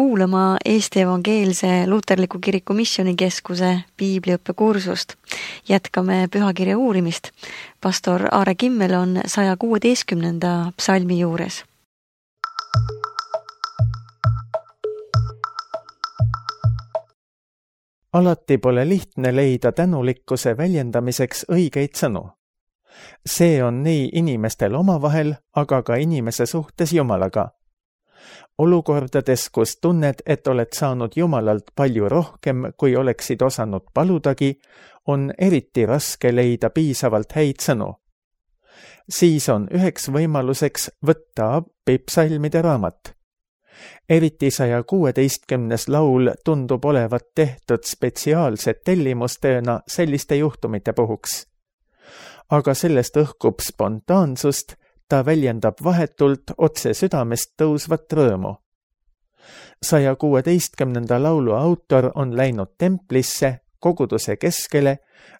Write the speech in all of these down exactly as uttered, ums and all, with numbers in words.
kuulama Eesti Evangeelse Luterliku Kiriku Missioonikeskuse piibliõppekursust. Jätkame pühakirja uurimist. Pastor Aare Kimmel on saja kuueteistkümnenda psalmi juures. Alati pole lihtne leida tänulikkuse väljendamiseks õigeid sõnu. See on nii inimestel omavahel, aga ka inimese suhtes Jumalaga. Olukordades, kus tunned, et oled saanud Jumalalt palju rohkem, kui oleksid osanud paludagi, on eriti raske leida piisavalt häid sõnu. Siis on üheks võimaluseks võtta appi psalmide raamat. Eriti saja kuueteistkümnes laul tundub olevat tehtud spetsiaalset tellimustööna selliste juhtumite puhuks. Aga sellest õhkub spontaansust, ta väljendab vahetult otse südamest tõusvat rõõmu. saja kuueteistkümnenda laulu autor on läinud templisse, koguduse keskele,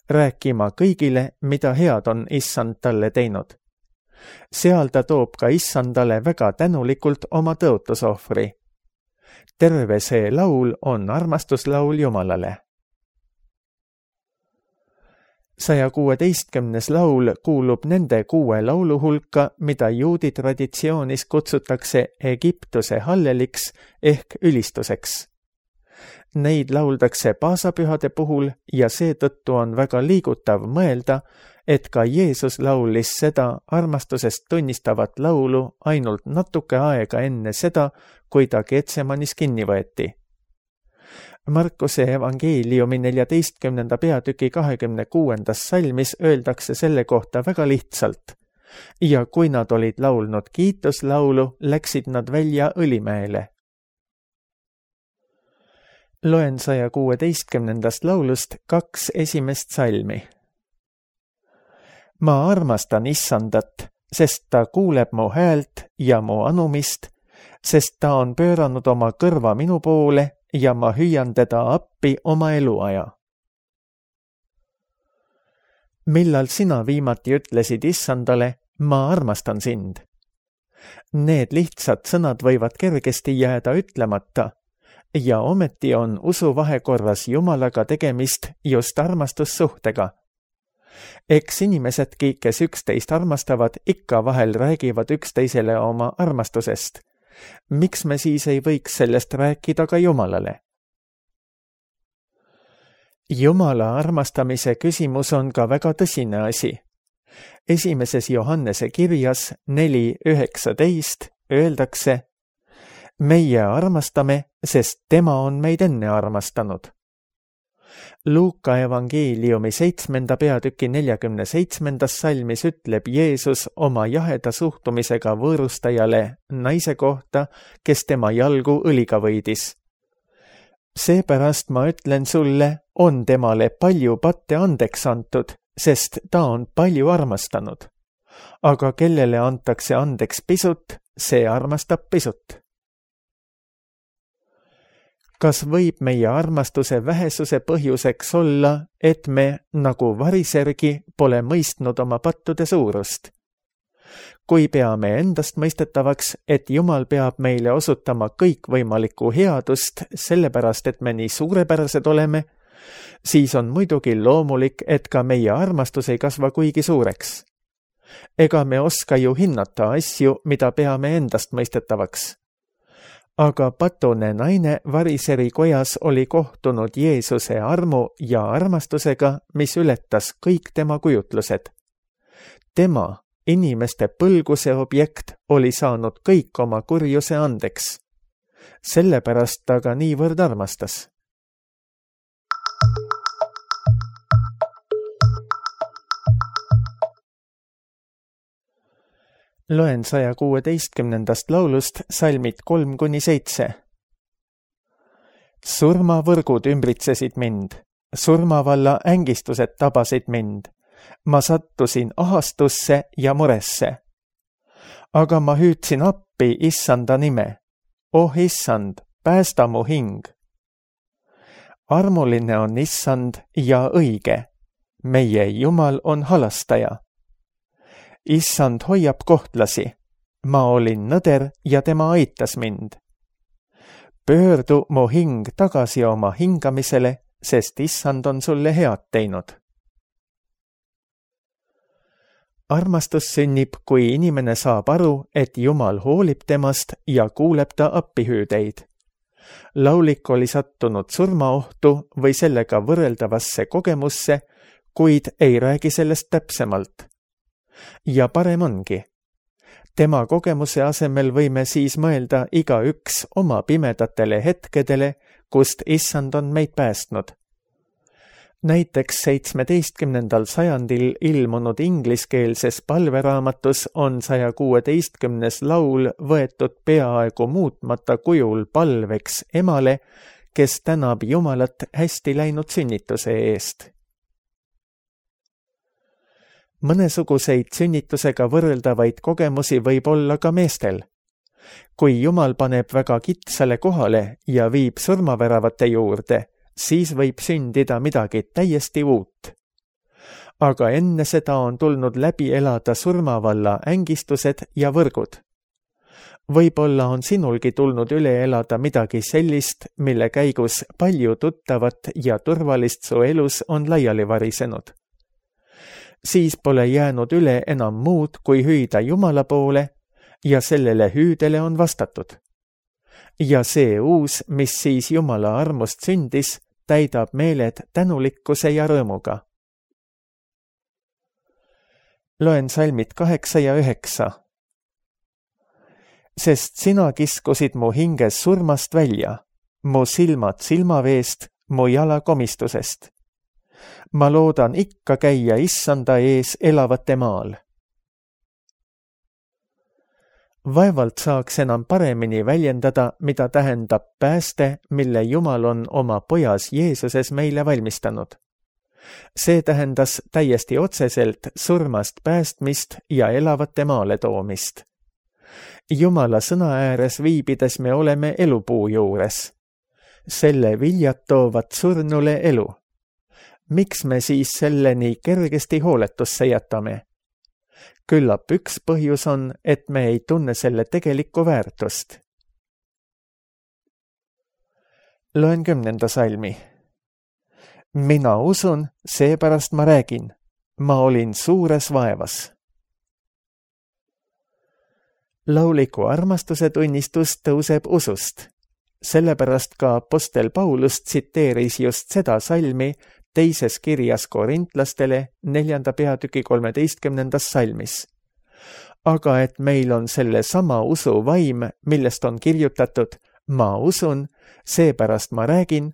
rääkima kõigile, mida head on issand talle teinud. Seal ta toob ka issandale väga tänulikult oma tõotusohvri. Terve see laul on armastuslaul Jumalale. saja kuueteistkümnes laul kuulub nende kuue laulu hulka, mida juudi traditsioonis kutsutakse Egiptuse halleliks ehk ülistuseks. Neid lauldakse paasapühade puhul ja seetõttu on väga liigutav mõelda, et ka Jeesus laulis seda armastusest tunnistavat laulu ainult natuke aega enne seda, kui ta Getsemanis kinni võeti. Markuse evangeeliumi neljateistkümnenda peatüki kahekümne kuuendas salmis öeldakse selle kohta väga lihtsalt. Ja kui nad olid laulnud kiituslaulu, läksid nad välja Õlimäele. Loen saja kuueteistkümnendast laulust kaks esimest salmi. Ma armastan issandat, sest ta kuuleb mu häält ja mu anumist, sest ta on pööranud oma kõrva minu poole ja ma hüüan teda appi oma eluaja. Millal sina viimati ütlesid issandale, ma armastan sind? Need lihtsad sõnad võivad kergesti jääda ütlemata ja ometi on usuvahekorras Jumalaga tegemist just armastussuhtega. Eks inimesedki, kes üksteist armastavad, ikka vahel räägivad üksteisele oma armastusest. Miks me siis ei võiks sellest rääkida ka Jumalale? Jumala armastamise küsimus on ka väga tõsine asi. Esimeses Johannese kirjas neli üheksateist öeldakse: meie armastame, sest tema on meid enne armastanud. Luuka evangeeliumi seitsmenda peatüki neljakümne seitsmendas salmis ütleb Jeesus oma jaheda suhtumisega võõrustajale naise kohta, kes tema jalgu õliga võidis. Seepärast ma ütlen sulle, on temale palju patte andeks antud, sest ta on palju armastanud. Aga kellele antakse andeks pisut, see armastab pisut. Kas võib meie armastuse vähesuse põhjuseks olla, et me, nagu varisergi, pole mõistnud oma pattude suurust? Kui peame endast mõistetavaks, et Jumal peab meile osutama kõikvõimalikku headust, sellepärast et me nii suurepärased oleme, siis on muidugi loomulik, et ka meie armastus ei kasva kuigi suureks. Ega me oska ju hinnata asju, mida peame endast mõistetavaks. Aga patune naine variseri kojas oli kohtunud Jeesuse armu ja armastusega, mis ületas kõik tema kujutlused. Tema, inimeste põlguse objekt, oli saanud kõik oma kurjuse andeks. Sellepärast ta ka niivõrd armastas. Loen saja kuueteistkümnendast laulust salmid kolm kuni seitse. Surmavõrgud ümbritsesid mind, surmavalla ängistused tabasid mind. Ma sattusin ahastusse ja muresse. Aga ma hüüdsin appi issanda nime. Oh issand, päästa mu hing. Armuline on issand ja õige. Meie Jumal on halastaja. Issand hoiab kohtlasi. Ma olin nõder ja tema aitas mind. pöördu mu hing tagasi oma hingamisele, sest issand on sulle head teinud. Armastus sünnib, kui inimene saab aru, et Jumal hoolib temast ja kuuleb ta appihüüdeid. Laulik oli sattunud surmaohtu või sellega võrreldavasse kogemusse, kuid ei räägi sellest täpsemalt. Ja parem ongi. Tema kogemuse asemel võime siis mõelda igaüks oma pimedatele hetkedele, kust issand on meid päästnud. Näiteks seitsmeteistkümnendal sajandil ilmunud ingliskeelses palveraamatus on saja kuueteistkümnes laul võetud peaaegu muutmata kujul palveks emale, kes tänab Jumalat hästi läinud sünnituse eest. Mõnesuguseid sünnitusega võrreldavaid kogemusi võib olla ka meestel. Kui Jumal paneb väga kitsale kohale ja viib surmaväravate juurde, siis võib sündida midagi täiesti uut. Aga enne seda on tulnud läbi elada surmavalla ängistused ja võrgud. Võib-olla on sinulgi tulnud üle elada midagi sellist, mille käigus palju tuttavat ja turvalist su elus on laiali varisenud. Siis pole jäänud üle enam muud, kui hüüda Jumala poole ja sellele hüüdele on vastatud. Ja see uus, mis siis Jumala armust sündis, täidab meeled tänulikkuse ja rõõmuga. Loen salmid kaheksa ja üheksa. Sest sina kiskusid mu hinges surmast välja, mu silmad silmaveest, mu jala komistusest. Ma loodan ikka käia issanda ees elavate maal. Vaevalt saaks enam paremini väljendada, mida tähendab pääste, mille Jumal on oma pojas Jeesuses meile valmistanud. See tähendas täiesti otseselt surmast päästmist ja elavate maale toomist. Jumala sõna ääres viibides me oleme elupuu juures. Selle viljad toovad surnule elu. Miks me siis selle nii kergesti hooletusse jätame? Küllap üks põhjus on, et me ei tunne selle tegelikku väärtust. Loen kümnenda salmi. Mina usun, seepärast ma räägin. Ma olin suures vaevas. Lauliku armastuse tunnistus tõuseb usust. Sellepärast ka apostel Paulus tsiteeris just seda salmi teises kirjas korintlastele neljanda peatüki kolmeteistkümnendas salmis. Aga et meil on selle sama usu vaim, millest on kirjutatud, ma usun, seepärast ma räägin,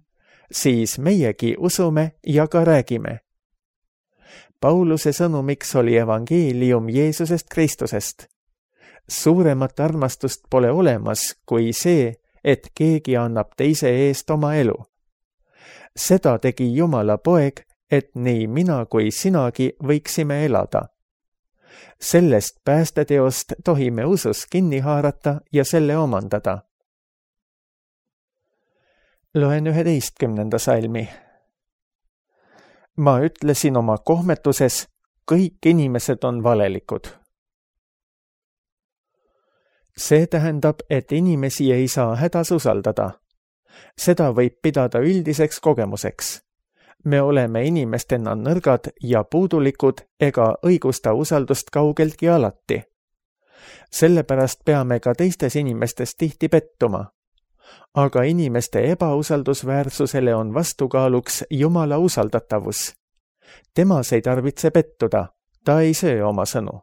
siis meiegi usume ja ka räägime. Pauluse sõnumiks oli evangeelium Jeesusest Kristusest. Suuremat armastust pole olemas kui see, et keegi annab teise eest oma elu. Seda tegi Jumala poeg, et nii mina kui sinagi võiksime elada. Sellest päästeteost tohime usus kinni haarata ja selle omandada. Loen üheteistkümnenda salmi. Ma ütlesin oma kohmetuses, kõik inimesed on valelikud. See tähendab, et inimesi ei saa hädas usaldada. Seda võib pidada üldiseks kogemuseks. Me oleme inimestena nõrgad ja puudulikud ega õigusta usaldust kaugeltki alati. Sellepärast peame ka teistes inimestes tihti pettuma. Aga inimeste ebausaldusväärsusele on vastukaaluks Jumala usaldatavus. Temas ei tarvitse pettuda, ta ei söö oma sõnu.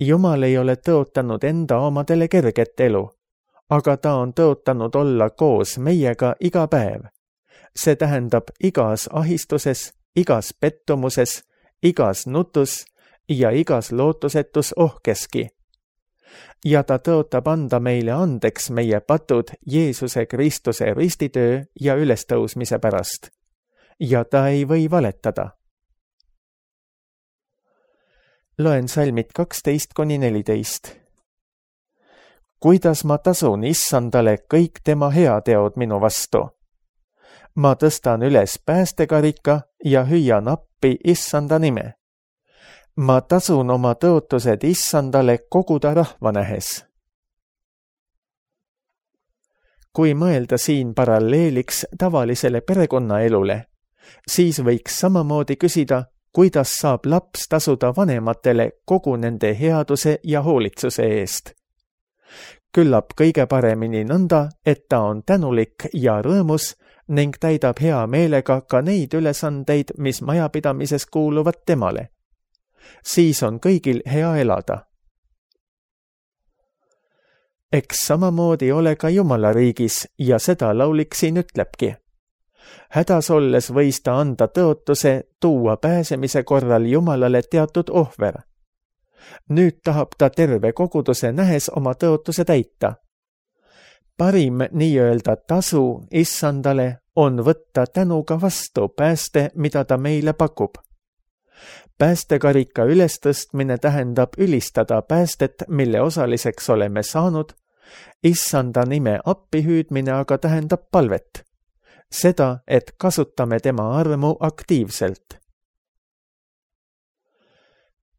Jumal ei ole tõotanud enda omadele kerget elu, aga ta on tõotanud olla koos meiega iga päev. See tähendab igas ahistuses, igas pettumuses, igas nutus ja igas lootusetus ohkeski. Ja ta tõotab anda meile andeks meie patud Jeesuse Kristuse ristitöö ja ülestõusmise pärast. Ja ta ei või valetada. Loen salmid kaksteist kuni neliteist. Kuidas ma tasun issandale kõik tema heateod minu vastu? Ma tõstan üles päästekarika ja hüüan appi issanda nime. Ma tasun oma tõotused issandale koguda rahva nähes. kui mõelda siin paralleeliks tavalisele perekonnaelule, siis võiks samamoodi küsida, kuidas saab laps tasuda vanematele kogu nende headuse ja hoolitsuse eest. Küllap kõige paremini nõnda, et ta on tänulik ja rõõmus ning täidab hea meelega ka neid ülesandeid, mis majapidamises kuuluvad temale. Siis on kõigil hea elada. Eks samamoodi ole ka Jumala riigis ja seda laulik siin ütlebki. Hädas olles võis ta anda tõotuse tuua pääsemise korral Jumalale teatud ohver. Nüüd tahab ta terve koguduse nähes oma tõotuse täita. Parim nii-öelda tasu issandale on võtta tänuga vastu pääste, mida ta meile pakub. Päästekarika ülestõstmine tähendab ülistada päästet, mille osaliseks oleme saanud, issanda nime appihüüdmine aga tähendab palvet. Seda, et kasutame tema armu aktiivselt.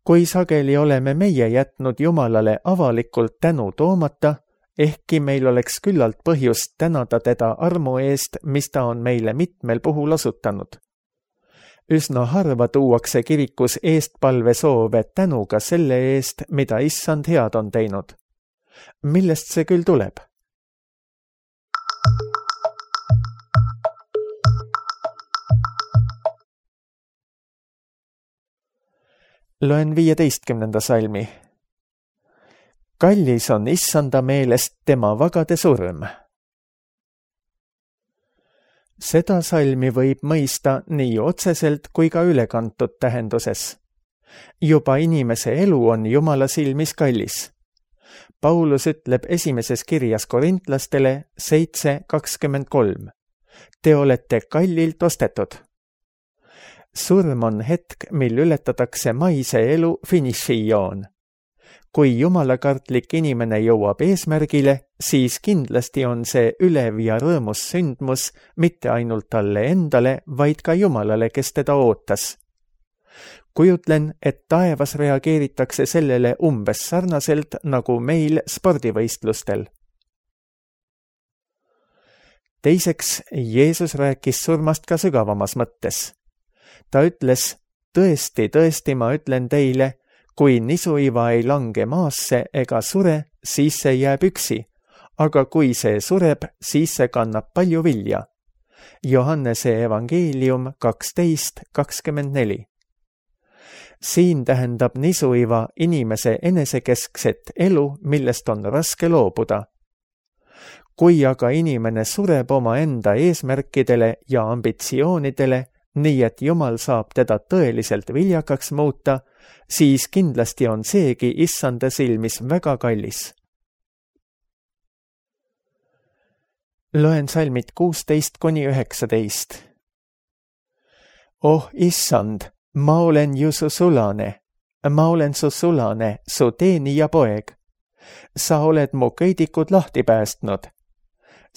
Kui sageli oleme meie jätnud Jumalale avalikult tänu toomata, ehkki meil oleks küllalt põhjust tänada teda armu eest, mis ta on meile mitmel puhul osutanud. Üsna harva tuuakse kirikus eestpalvesoove tänuga selle eest, mida issand head on teinud. Millest see küll tuleb? Loen viieteistkümnenda salmi. Kallis on issanda meelest tema vagade surm. Seda salmi võib mõista nii otseselt kui ka ülekantud tähenduses. Juba inimese elu on Jumala silmis kallis. Paulus ütleb esimeses kirjas korintlastele seitse kakskümmend kolm. Te olete kallilt ostetud. Surm on hetk, mil ületatakse maise elu finišijoon. Kui jumalakartlik inimene jõuab eesmärgile, siis kindlasti on see ülev ja rõõmus sündmus mitte ainult talle endale, vaid ka Jumalale, kes teda ootas. Kujutlen, et taevas reageeritakse sellele umbes sarnaselt nagu meil spordivõistlustel. Teiseks, Jeesus rääkis surmast ka sügavamas mõttes. Ta ütles, tõesti, tõesti, ma ütlen teile, kui nisuiva ei lange maasse ega sure, siis see jääb üksi, aga kui see sureb, siis see kannab palju vilja. Johannese evangeelium kaksteist kakskümmend neli. Siin tähendab nisuiva inimese enesekeskset elu, millest on raske loobuda. Kui aga inimene sureb oma enda eesmärkidele ja ambitsioonidele, nii et Jumal saab teda tõeliselt viljakaks muuta, siis kindlasti on seegi issanda silmis väga kallis. Loen salmid kuusteist kuni üheksateist. Oh issand, ma olen ju su sulane, ma olen su sulane, su teenija poeg. Sa oled mu köidikud lahti päästnud.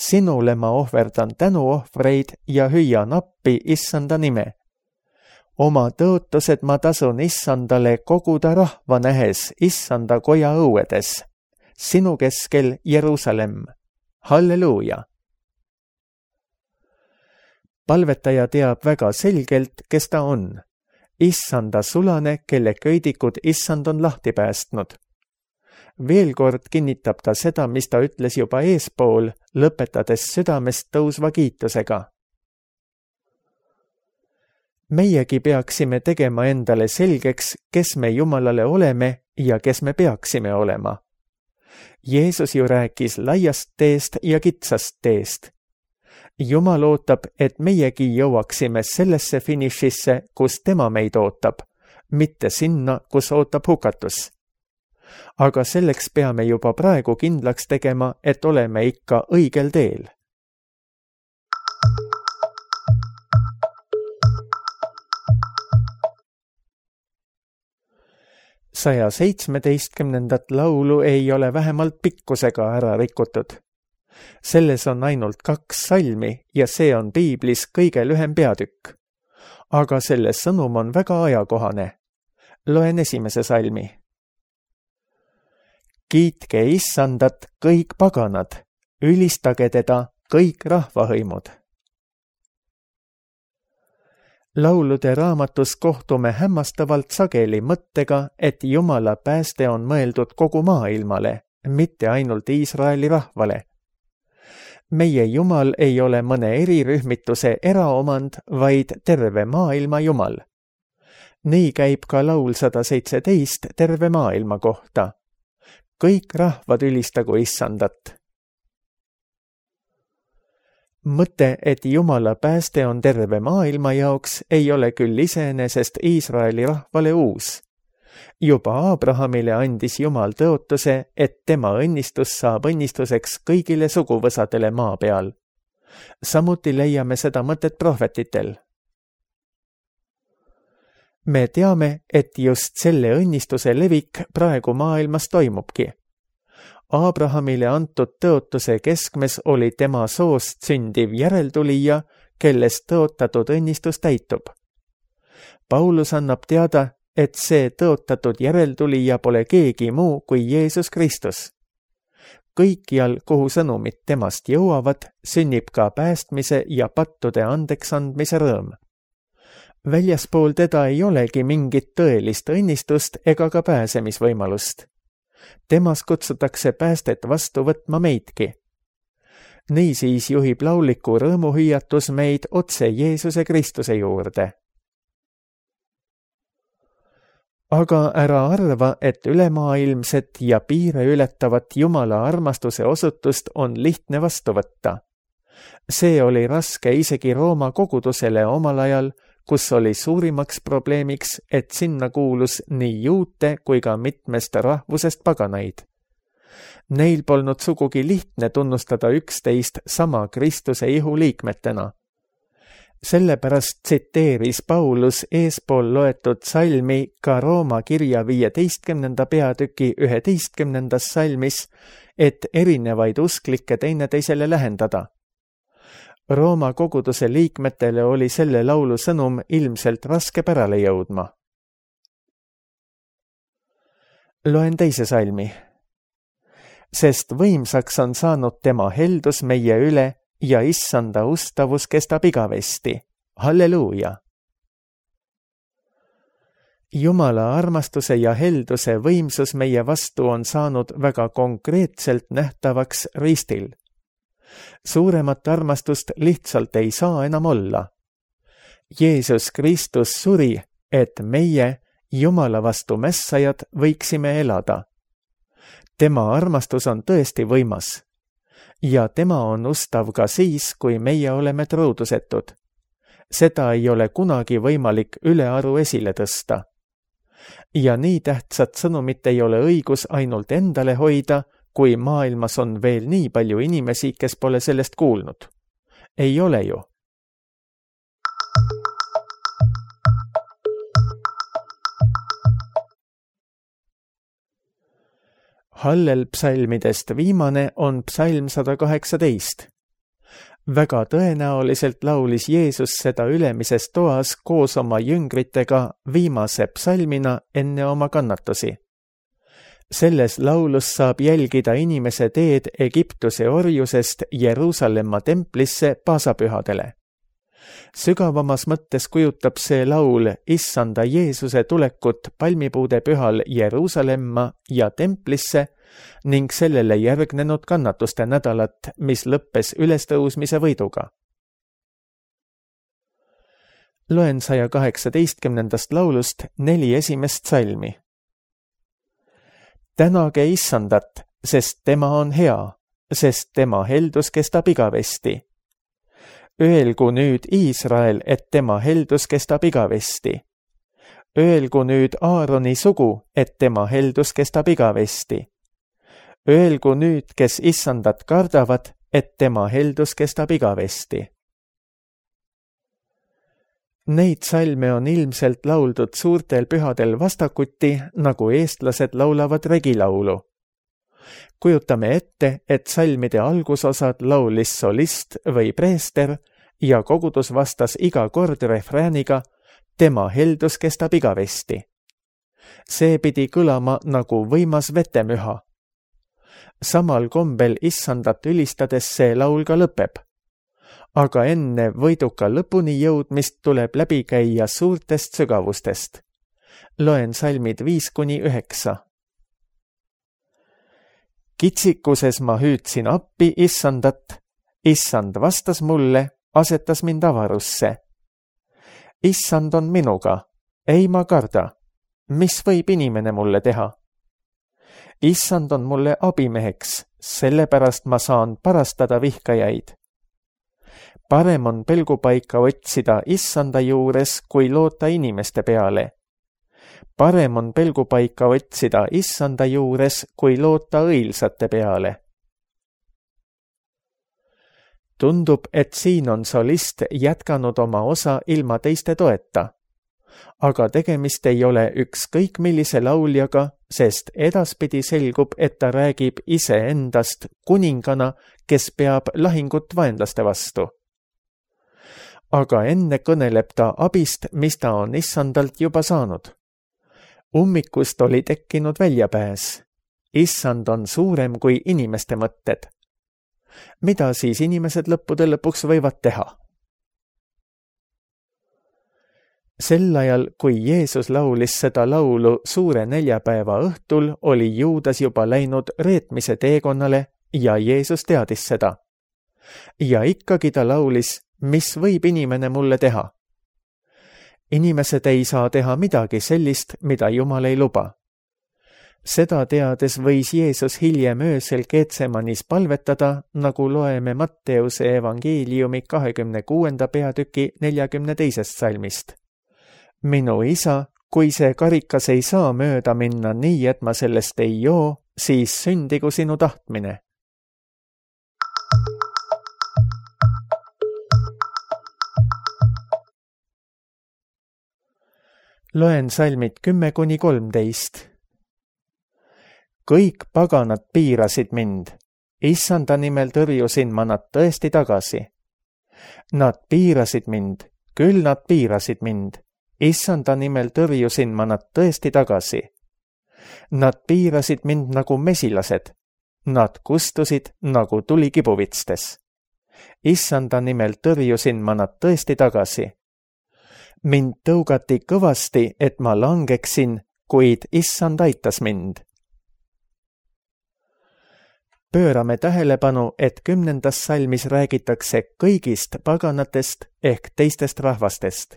Sinule ma ohverdan tänuohvreid ja hüüan appi issanda nime. Oma tõotused ma tasun issandale koguda rahva nähes issanda koja õuedes. Sinu keskel Jeruusalemm. Halleluuja! Palvetaja teab väga selgelt, kes ta on. Issanda sulane, kelle köidikud issand on lahti päästnud. Veel kord kinnitab ta seda, mis ta ütles juba eespool, lõpetades südamest tõusva kiitusega. Meiegi peaksime tegema endale selgeks, kes me Jumalale oleme ja kes me peaksime olema. Jeesus ju rääkis laiast teest ja kitsast teest. Jumal ootab, et meiegi jõuaksime sellesse finišisse, kus tema meid ootab, mitte sinna, kus ootab hukatus. Aga selleks peame juba praegu kindlaks tegema, et oleme ikka õigel teel. saja seitsmeteistkümnendat laulu ei ole vähemalt pikkusega ära rikutud. Selles on ainult kaks salmi ja see on piiblis kõige lühem peatükk. Aga selle sõnum on väga ajakohane. Loen esimese salmi. Kiitke issandat kõik paganad, ülistage teda kõik rahvahõimud. Laulude raamatus kohtume hämmastavalt sageli mõttega, et Jumala pääste on mõeldud kogu maailmale, mitte ainult Iisraeli rahvale. Meie Jumal ei ole mõne erirühmituse eraomand, vaid terve maailma Jumal. Nii käib ka laul sada seitseteist terve maailma kohta. Kõik rahvad ülistagu Issandat. Mõte, et Jumala pääste on terve maailma jaoks, ei ole küll iseenesest Iisraeli rahvale uus. Juba Abrahamile andis Jumal tõotuse, et tema õnnistus saab õnnistuseks kõigile suguvõsadele maa peal. Samuti leiame seda mõtet prohvetitel. Me teame, et just selle õnnistuse levik praegu maailmas toimubki. Abrahamile antud tõotuse keskmes oli tema soost sündiv järeltulija, kellest tõotatud õnnistus täitub. Paulus annab teada, et see tõotatud järeltulija pole keegi muu kui Jeesus Kristus. Kõikjal, kuhu sõnumid temast jõuavad, sünnib ka päästmise ja pattude andeks andmise rõõm. Väljaspool teda ei olegi mingit tõelist õnnistust ega ka pääsemisvõimalust. Temas kutsutakse päästet vastu võtma meidki. Niisiis juhib lauliku rõõmuhüüatus meid otse Jeesuse Kristuse juurde. Aga ära arva, et ülemaailmset ja piire ületavat Jumala armastuse osutust on lihtne vastu võtta. See oli raske isegi Rooma kogudusele omal ajal, kus oli suurimaks probleemiks, et sinna kuulus nii juute kui ka mitmest rahvusest paganaid. Neil polnud sugugi lihtne tunnustada üksteist sama Kristuse ihu liikmetena. Sellepärast tsiteeris Paulus eespool loetud salmi ka Rooma kirja viieteistkümnenda peatüki üheteistkümnendas salmis, et erinevaid usklikke teineteisele lähendada. Rooma koguduse liikmetele oli selle laulu sõnum ilmselt raske pärale jõudma. Loen teise salmi. Sest võimsaks on saanud tema heldus meie üle ja Issanda ustavus kestab igavesti. Halleluuja! Jumala armastuse ja helduse võimsus meie vastu on saanud väga konkreetselt nähtavaks ristil. Suuremat armastust lihtsalt ei saa enam olla. Jeesus Kristus suri, et meie, Jumala vastu mässajad, võiksime elada. Tema armastus on tõesti võimas. Ja tema on ustav ka siis, kui meie oleme truudusetud. Seda ei ole kunagi võimalik ülearu esile tõsta. Ja nii tähtsat sõnumit ei ole õigus ainult endale hoida, kui maailmas on veel nii palju inimesi, kes pole sellest kuulnud. Ei ole ju. Hallel psalmidest viimane on psalm sada kaheksateist. Väga tõenäoliselt laulis Jeesus seda ülemises toas koos oma jüngritega viimase psalmina enne oma kannatusi. Selles laulus saab jälgida inimese teed Egiptuse orjusest Jeruusalemma templisse paasapühadele. Sügavamas mõttes kujutab see laul Issanda Jeesuse tulekut palmipuude pühal Jeruusalemma ja templisse ning sellele järgnenud kannatuste nädalat, mis lõppes ülestõusmise võiduga. Loen saja kaheksateistkümnendast laulust neli esimest salmi. Tänage Issandat, sest tema on hea, sest tema heldus kestab igavesti. Öelgu nüüd Iisrael, et tema heldus kestab igavesti. Öelgu nüüd Aaroni sugu, et tema heldus kestab igavesti. Öelgu nüüd, kes Issandat kardavad, et tema heldus kestab igavesti. Neid salme on ilmselt lauldud suurtel pühadel vastakuti, nagu eestlased laulavad regilaulu. Kujutame ette, et salmide algusosad laulis solist või preester ja kogudus vastas iga kord refrääniga, tema heldus kestab igavesti. See pidi kõlama nagu võimas vetemüha. samal kombel issandat ülistades see laul ka lõpeb. Aga enne võiduka lõpuni jõudmist tuleb läbi käia suurtest sügavustest. Loen salmid viis kuni üheksa. Kitsikuses ma hüüdsin appi issandat, issand vastas mulle, asetas mind avarusse. Issand on minuga, ei ma karda, mis võib inimene mulle teha? Issand on mulle abimeheks, sellepärast ma saan parastada vihkajaid. Parem on pelgupaika otsida issanda juures, kui loota inimeste peale. Parem on pelgupaika otsida issanda juures, kui loota õilsate peale. Tundub, et siin on solist jätkanud oma osa ilma teiste toeta. Aga tegemist ei ole ükskõik millise lauljaga, sest edaspidi selgub, et ta räägib iseendast kuningana, kes peab lahingut vaenlaste vastu. Aga enne kõneleb ta abist, mis ta on issandalt juba saanud. Ummikust oli tekkinud väljapääs. Issand on suurem kui inimeste mõtted. Mida siis inimesed lõppude lõpuks võivad teha? Sel ajal, kui Jeesus laulis seda laulu suure neljapäeva õhtul, oli Juudas juba läinud reetmise teekonnale ja Jeesus teadis seda. Ja ikkagi ta laulis, mis võib inimene mulle teha? Inimesed ei saa teha midagi sellist, mida Jumal ei luba. Seda teades võis Jeesus hiljem öösel Getsemanis palvetada, nagu loeme Matteuse evangeeliumi kahekümne kuuenda peatüki neljakümne teisest salmist. Minu isa, kui see karikas ei saa mööda minna nii, et ma sellest ei joo, siis sündigu sinu tahtmine. Loen salmid kümme kuni kolmteist. Kõik paganad piirasid mind. Issanda nimel tõrjusin ma nad tõesti tagasi. Nad piirasid mind, küll nad piirasid mind. Issanda nimel tõrjusin ma nad tõesti tagasi. Nad piirasid mind nagu mesilased. Nad kustusid nagu tuli kibuvitstes. Issanda nimel tõrjusin ma nad tõesti tagasi. Mind tõugati kõvasti, et ma langeksin, kuid issand aitas mind. Pöörame tähelepanu, et kümnendas salmis räägitakse kõigist paganatest ehk teistest rahvastest.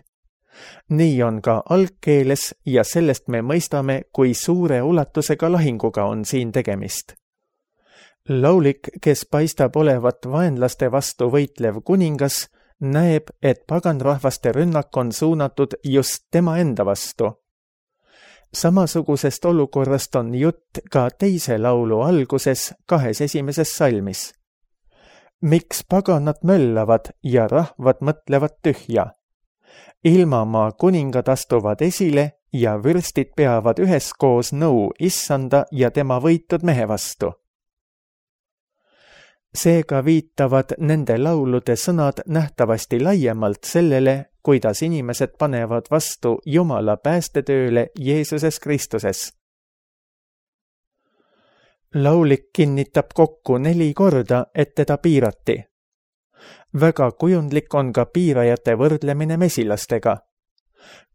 Nii on ka algkeeles ja sellest me mõistame, kui suure ulatusega lahinguga on siin tegemist. Laulik, kes paistab olevat vaenlaste vastu võitlev kuningas, näeb, et paganrahvaste rünnak on suunatud just tema enda vastu. Samasugusest olukorrast on jutt ka teise laulu alguses kahes esimeses salmis. Miks paganad möllavad ja rahvad mõtlevad tühja? Ilmamaa kuningad astuvad esile ja vürstid peavad üheskoos nõu issanda ja tema võitud mehe vastu. Seega viitavad nende laulude sõnad nähtavasti laiemalt sellele, kuidas inimesed panevad vastu Jumala päästetööle Jeesuses Kristuses. Laulik kinnitab kokku neli korda, et teda piirati. Väga kujundlik on ka piirajate võrdlemine mesilastega.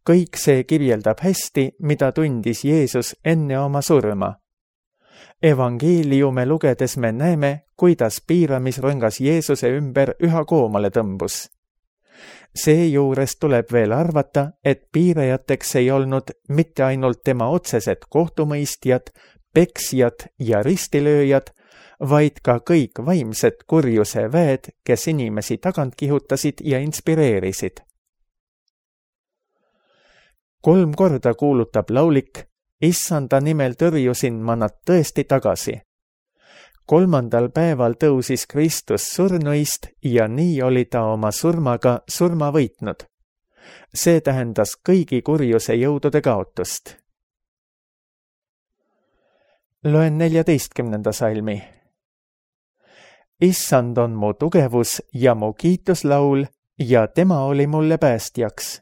Kõik see kirjeldab hästi, mida tundis Jeesus enne oma surma. Evangeeliume lugedes me näeme, kuidas piiramisrõngas Jeesuse ümber üha koomale tõmbus. Seejuures tuleb veel arvata, et piirajateks ei olnud mitte ainult tema otsesed kohtumõistjad, peksjad ja ristilööjad, vaid ka kõik vaimsed kurjuse väed, kes inimesi tagant kihutasid ja inspireerisid. Kolm korda kuulutab laulik, issanda nimel tõrjusin ma nad tõesti tagasi. Kolmandal päeval tõusis Kristus surnuist ja nii oli ta oma surmaga surma võitnud. See tähendas kõigi kurjuse jõudude kaotust. Loen neljateistkümnenda salmi. Issand on mu tugevus ja mu kiituslaul ja tema oli mulle päästjaks.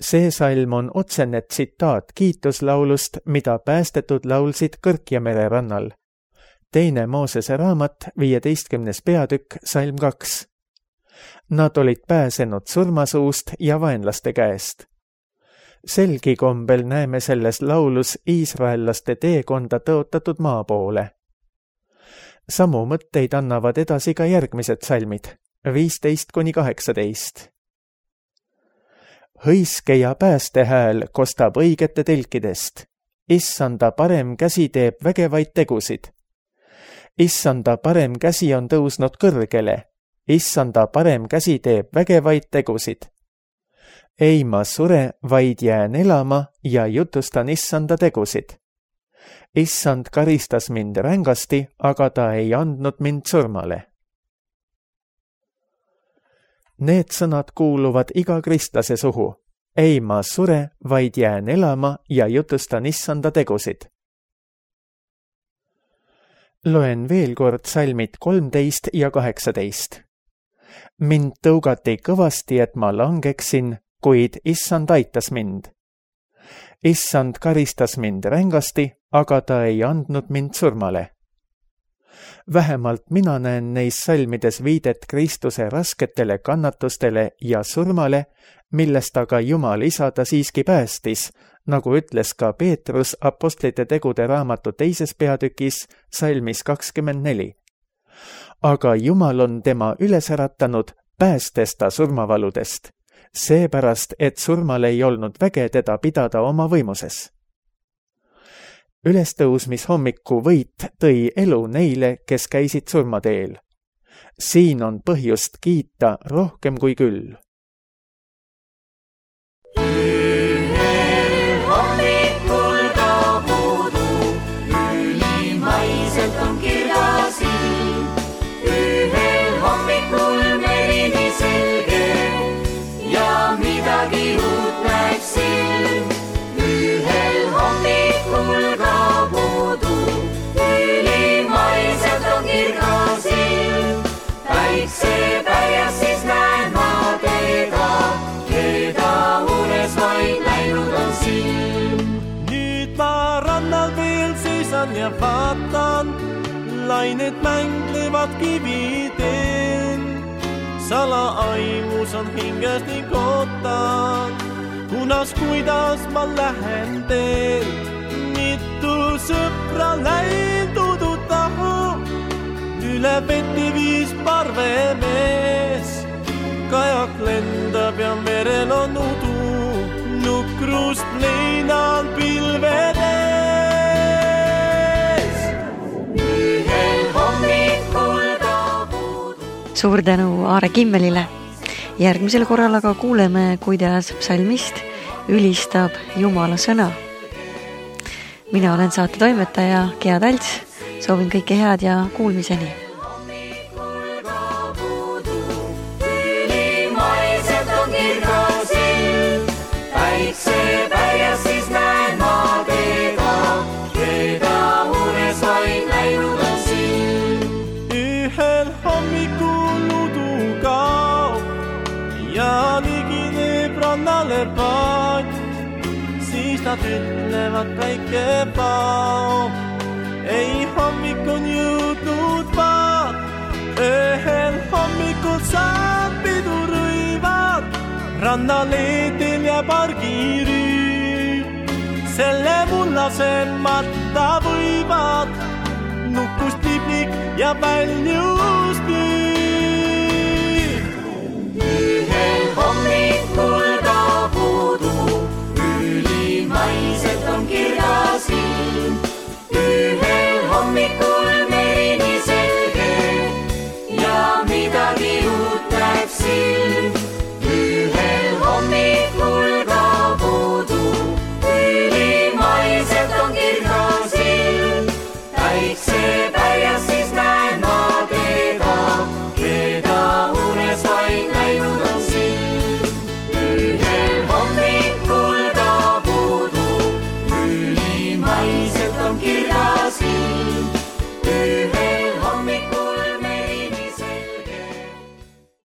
See salm on otsene tsitaat kiituslaulust, mida päästetud laulsid Kõrkjamere rannal. Teine Moosese raamat, viieteistkümnes peatükk, salm kaks. Nad olid pääsenud surmasuust ja vaenlaste käest. Selgi kombel näeme selles laulus iisraellaste teekonda tõotatud maa poole. Samu mõtteid annavad edasi ka järgmised salmid, viisteist kuni kaheksateist. Hõiske ja päästehääl kostab õigete telkidest. Issanda parem käsi teeb vägevaid tegusid. Issanda parem käsi on tõusnud kõrgele. Issanda parem käsi teeb vägevaid tegusid. Ei ma sure, vaid jään elama ja jutustan Issanda tegusid. Issand karistas mind rängasti, aga ta ei andnud mind surmale. Need sõnad kuuluvad iga kristlase suhu. Ei ma sure, vaid jään elama ja jutustan Issanda tegusid. Loen veel kord salmid kolmteist ja kaheksateist. Mind tõugati kõvasti, et ma langeksin, kuid Issand aitas mind. Issand karistas mind rängasti, aga ta ei andnud mind surmale. Vähemalt mina näen neis salmides viidet Kristuse rasketele kannatustele ja surmale, millest aga Jumal isa ta siiski päästis, nagu ütles ka Peetrus Apostlite tegude raamatu teises peatükis salmis kakskümmend neli. Aga Jumal on tema üles äratanud, päästes ta surmavaludest, seepärast, et surmal ei olnud väge teda pidada oma võimuses. Ülestõusmishommiku võit tõi elu neile, kes käisid surmateel. Siin on põhjust kiita rohkem kui küll. Ühel hommikul kaobudu, ülimaiselt on kirjas ilm. Ühel hommikul merini selge ja midagi uut näeb silm. Ühel hommikul kaobudu, ülimaiselt on kirjas ilm. Päikse päjas siis näen ma teda, keda unes vaid läinud on silm. Nüüd ma rannal veel seisan ja vaatan, lained mänglevad kividel. Salaaimus on hinges ning ootan, kunas kuidas ma lähen teel. Mitu sõpra läinud tahu, üle veti viis parvemees. Kajak lendab ja merel on udu, nukrust leinal pilvedes. Ühel hommikul kaobudu. Suur tänu Aare Kimmelile. Järgmisel korral aga kuuleme, kuidas psalmist ülistab Jumala sõna. Mina olen saate toimetaja Gea Talts. Soovin kõike head ja kuulmiseni. Hommikul kaobudu, ülimaiselt on kirjas ilm. Päikse päjas siis näen ma teda, keda unes vaid läinud on silm. Ühel hommikul udu kaob ja ligineb rannale paat. Siis nad ütlevad päike paob. Ei hommik on jõudnud vaat, ühel hommikul saab pidurõivad, rannaleedel ja pargirüü. Selle mullase matta võivad, nukust liblik ja väljust püü.